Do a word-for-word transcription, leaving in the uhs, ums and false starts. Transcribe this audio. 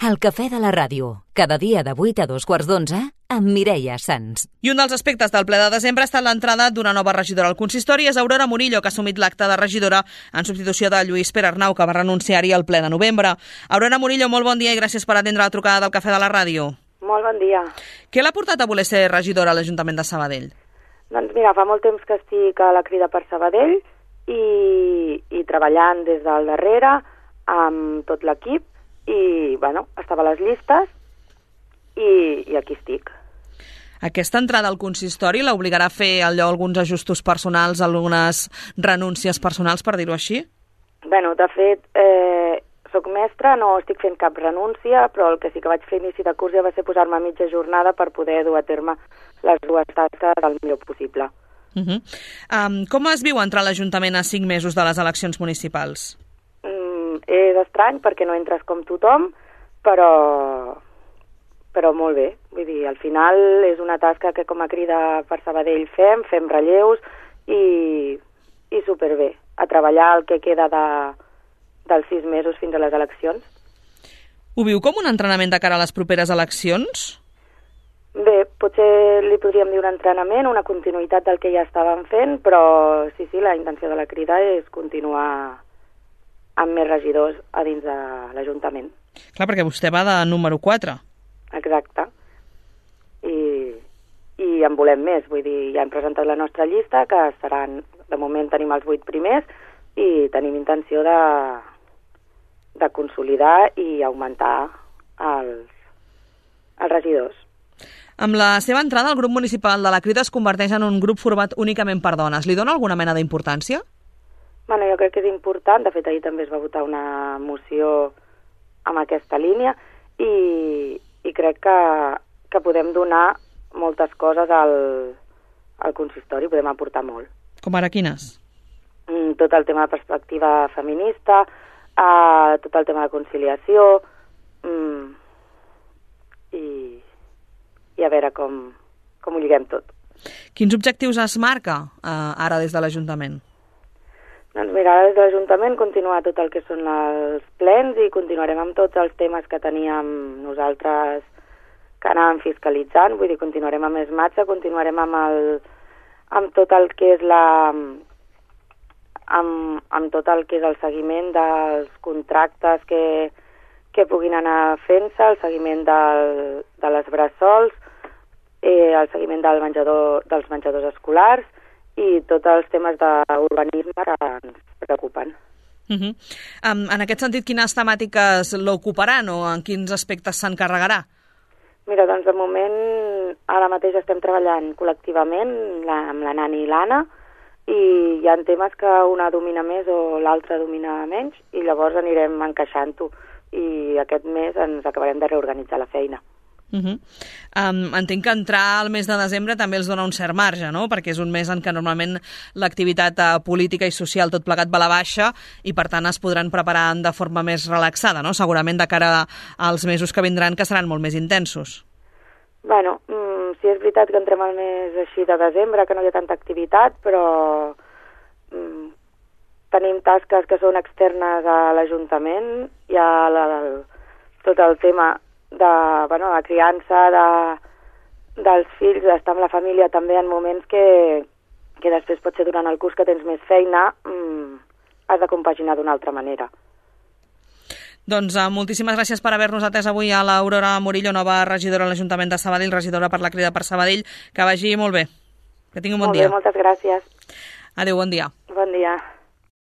El cafè de la ràdio, cada dia de vuit a dos quarts d'onze, amb Mireia Sans. I un dels aspectes del ple de desembre ha estat l'entrada d'una nova regidora al consistori. És Aurora Murillo, que ha assumit l'acte de regidora en substitució de Lluís Pere Arnau, que va renunciar-hi al ple de novembre. Aurora Murillo, molt bon dia i gràcies per atendre la trucada del cafè de la ràdio. Molt bon dia. Què l'ha portat a voler ser regidora a l'Ajuntament de Sabadell? Doncs mira, fa molt temps que estic a la Crida per Sabadell i, i treballant des del darrere amb tot l'equip i, bueno, estava a les llistes i, i aquí estic. Aquesta entrada al consistori l'obligarà a fer allò, alguns ajustos personals, algunes renúncies personals, per dir-ho així? Bueno, de fet, eh, soc mestra, no estic fent cap renúncia, però el que sí que vaig fer a inici de curs ja va ser posar-me a mitja jornada per poder dur a terme les dues tasques el millor possible. Uh -huh. um, com es viu entrar a l'Ajuntament a cinc mesos de les eleccions municipals? Mm, és estrany perquè no entres com tothom, però, però molt bé. Vull dir, al final és una tasca que com a Crida per Sabadell fem, fem relleus i, i superbé. A treballar el que queda de, dels sis mesos fins a les eleccions. Ho viu com un entrenament de cara a les properes eleccions? Bé, potser li podríem dir un entrenament, una continuïtat del que ja estàvem fent, però sí, sí, la intenció de la Crida és continuar amb més regidors a dins de l'Ajuntament. Clar, perquè vostè va de número quatre. Exacte. I, i en volem més, vull dir, ja hem presentat la nostra llista, que seran, de moment tenim els vuit primers, i tenim intenció de, de consolidar i augmentar els, els regidors. Amb la seva entrada, el grup municipal de la Crida es converteix en un grup format únicament per dones. Li dona alguna mena d'importància? Bueno, jo crec que és important. De fet, ahir també es va votar una moció amb aquesta línia i, i crec que, que podem donar moltes coses al, al consistori, podem aportar molt. Com ara quines? Mm, tot el tema de perspectiva feminista, uh, tot el tema de conciliació mm, i, i a veure com, com ho lliguem tot. Quins objectius es marca uh, ara des de l'Ajuntament? Doncs mira, ara des de l'Ajuntament continuar tot el que són els plens i continuarem amb tots els temes que teníem nosaltres que anàvem fiscalitzant, vull dir, continuarem amb ESMATSA, continuarem amb, el, amb tot el que és la... amb, amb tot el que és el seguiment dels contractes que, que puguin anar fent-se, el seguiment del, de les bressols, eh, el seguiment del menjador, dels menjadors escolars, i tots els temes d'urbanisme que ens preocupen. Uh -huh. um, en aquest sentit, quines temàtiques l'ocuparan o en quins aspectes s'encarregarà? Mira, doncs de moment ara mateix estem treballant col·lectivament la, amb la Nani i l'Anna i hi ha temes que una domina més o l'altra domina menys i llavors anirem encaixant-ho i aquest mes ens acabarem de reorganitzar la feina. Uh -huh. um, entenc que entrar al mes de desembre també els dona un cert marge, no? Perquè és un mes en què normalment l'activitat uh, política i social tot plegat va a la baixa i per tant es podran preparar de forma més relaxada, no? Segurament de cara als mesos que vindran, que seran molt més intensos. Bueno, mm, sí és veritat que entrem al mes així de desembre, que no hi ha tanta activitat, però mm, tenim tasques que són externes a l'Ajuntament, hi ha la, la, tot el tema de, bueno, la criança de, dels fills, d'estar amb la família també en moments que, que després pot ser durant el curs que tens més feina, mmm, has de compaginar d'una altra manera. Doncs uh, moltíssimes gràcies per haver-nos atès avui a l'Aurora Murillo, nova regidora a l'Ajuntament de Sabadell, regidora per la Crida per Sabadell. Que vagi molt bé. Que tingui un bon molt dia. Molt bé, moltes gràcies. Adéu, bon dia. Bon dia.